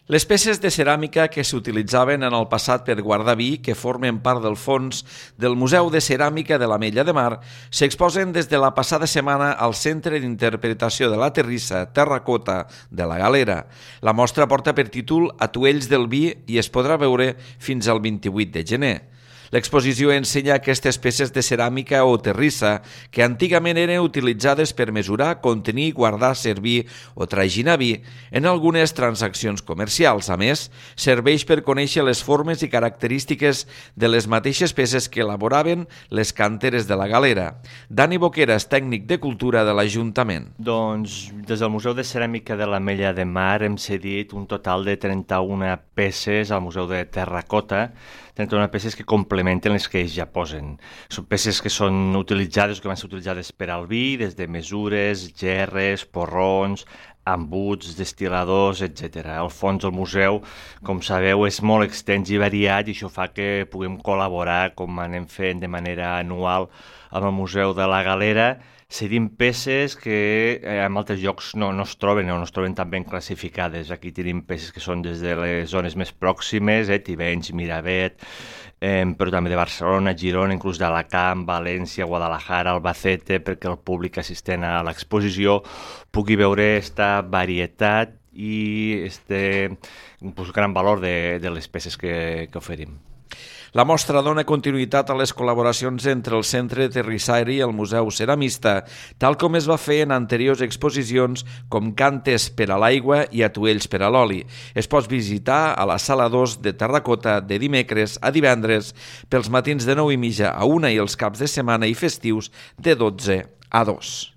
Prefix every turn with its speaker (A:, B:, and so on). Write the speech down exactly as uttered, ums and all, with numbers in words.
A: Les peces de ceràmica que s'utilitzaven en el passat per guardar vi, que formen part del fons del Museu de Ceràmica de l'Ametlla de Mar, s'exposen des de la passada setmana al Centre d'Interpretació de la Terrissa Terracota de la Galera. La mostra porta per títol Atuells del vi i es podrà veure fins al vint-i-vuit de gener. L'exposició ensenya aquestes peces de ceràmica o terrissa que antigament eren utilitzades per mesurar, contenir, guardar, servir o traginar vi en algunes transaccions comercials. A més, serveix per conèixer les formes i característiques de les mateixes peces que elaboraven les canteres de la Galera. Dani Boqueras, tècnic de cultura de l'Ajuntament.
B: Doncs des del Museu de Ceràmica de l'Ametlla de Mar hem cedit un total de trenta-una peces al Museu de Terracota, trenta-una peces que complementen les que ells ja posen. Són peces que són utilitzades, que van ser utilitzades per al vi, des de mesures, gerres, porrons, embuts, destil·ladors, etcètera. El fons del museu, com sabeu, és molt extens i variat i això fa que puguem col·laborar, com anem fent de manera anual amb el Museu de la Galera, cedint peces que en altres llocs no, no es troben o no es troben tan ben classificades. Aquí tenim peces que són des de les zones més pròximes, eh, Tivenys, Miravet, eh, però també de Barcelona, Girona, inclús d'Alacant, València, Guadalajara, Albacete, perquè el públic assistent a l'exposició pugui veure aquesta varietat i este pues, gran valor de, de les peces que, que oferim.
A: La mostra dona continuïtat a les col·laboracions entre el Centre de Terrissari i el Museu Ceramista, tal com es va fer en anteriors exposicions com Cantes per a l'aigua i Atuells per a l'oli. Es pot visitar a la Sala dos de Terracota de dimecres a divendres, pels matins de nou i mitja a una i els caps de setmana i festius de dotze a dos.